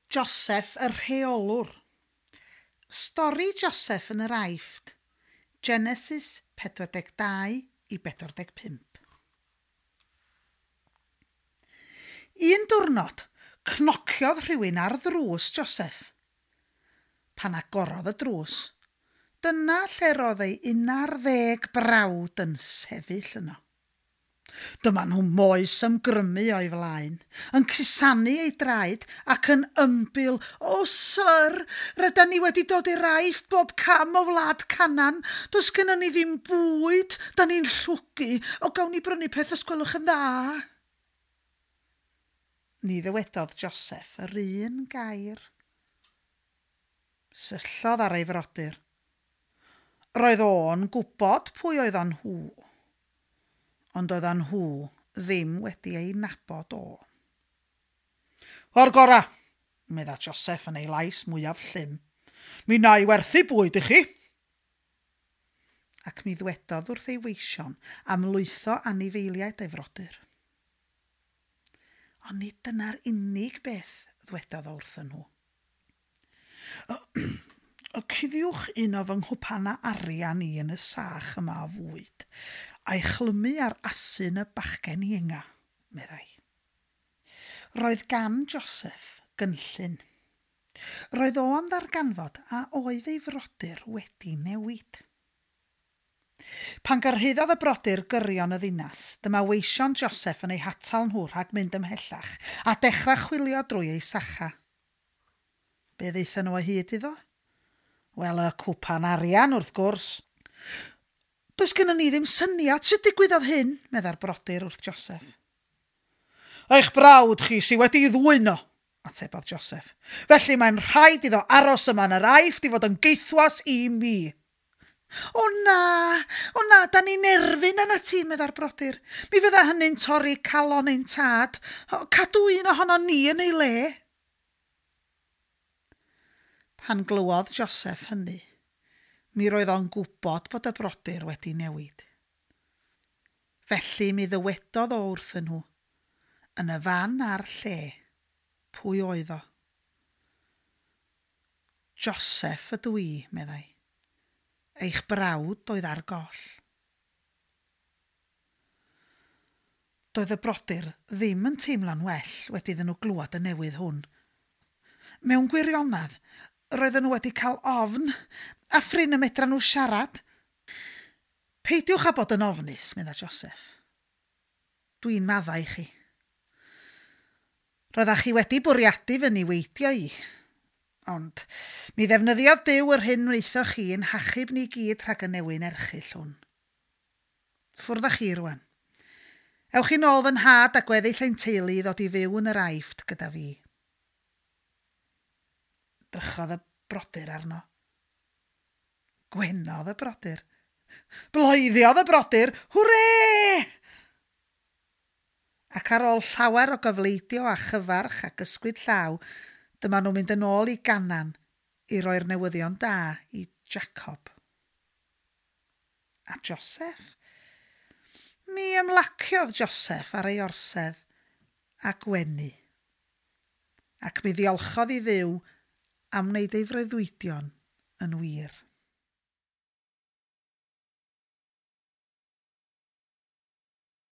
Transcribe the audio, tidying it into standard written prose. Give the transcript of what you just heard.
Joseph y rheolwr. Stori Joseph yn yr Aifft. Genesis 42 i 45. Un diwrnod, cnociodd rhywun ar ddrws Joseph. Pan agorodd y drws, dyna lle roedd ei 11 brawd yn sefyll yno. Dyma nhw moes ymgrymu o'i flaen, yn cusanu ei draed ac yn ymbil, O syr, rydan ni wedi dod i'r Aifft bob cam o wlad Canan, does gynnon ni ddim bwyd, da ni'n llwgu, o gawn ni brynu peth os gwelwch yn dda? Ni ddywedodd Joseph yr un gair. Syllodd ar ei frodyr. Roedd o'n gwybod pwy oeddan nhw ond oeddan nhw ddim wedi ei nabod o. O'r gora, medda Joseph yn ei lais mwyaf llym. Mi na i werthu bwyd i chi. Ac mi ddwedodd wrth ei weision am lwytho anifeiliaid ei frodyr. Ond nid dyna'r unig beth ddwedodd o wrthyn nhw. Cuddiwch un o fy nghwpanau arian i yn y sach yma o fwyd, a'i chlymu ar asyn y bachgen ienga, meddai. Roedd gan Joseph gynllun. Roedd o am ddarganfod a oedd ei frodyr wedi newid. Pan gyrhaeddodd y brodyr gyrion y ddinas, dyma weision Joseph yn eu hatal nhw rhag mynd ymhellach a dechrau chwilio drwy ei sacha. Be ddaethon nhw o hyd iddo? Wel, y cwpan arian, wrth gwrs. Does gynnon ni ddim syniad sut digwyddodd hyn, medda'r brodyr wrth Joseph. Eich brawd chi sy wedi ei ddwyn o, atebodd Joseph. Felly mae'n rhaid iddo aros yma yn yr Aifft i fod yn geithwas i mi. O na, o na, da ni'n erfyn arnat ti, medda'r brodyr. Mi fydda hynny'n torri calon ein tad. O, cadw un ohonon ni yn ei le. Pan glywodd Joseph hynny, mi roedd o'n gwybod bod y brodyr wedi newid. Felly mi ddywedodd o wrthyn nhw, yn y fan a'r lle, pwy oedd o. Joseph ydw i, meddai. Eich brawd oedd ar goll. Doedd y brodyr ddim yn teimlo'n well wedi iddyn nhw glywed y newydd hwn. Mewn gwirionedd, roedden nhw wedi cael ofn, a phrin y medran nhw siarad. Peidiwch â bod yn ofnus, medda Joseph. Dwi'n maddau i chi. Roeddach chi wedi bwriadu fy niweidio i. Ond mi ddefnyddiodd Duw yr hyn wnaethoch chi i'n hachub ni gyd rhag y newyn erchyll hwn. Ffwrdd â chi rwan. Ewch i nôl fy nhad a gweddill ein teulu i ddod i fyw yn yr Aifft gyda fi. Drychodd y brodyr arno. Gwenodd y brodyr. Bloeddiodd y brodyr, Hwrê! Ac ar ôl llawer o gyfleidio a chyfarch ac ysgwyd llaw, dyma nhw'n mynd yn ôl i Ganan i roi'r newyddion da i Jacob. A Joseph? Mi ymlaciodd Joseph ar ei orsedd a gwenu. Ac mi ddiolchodd i Dduw am wneud ei freuddwydion yn wir.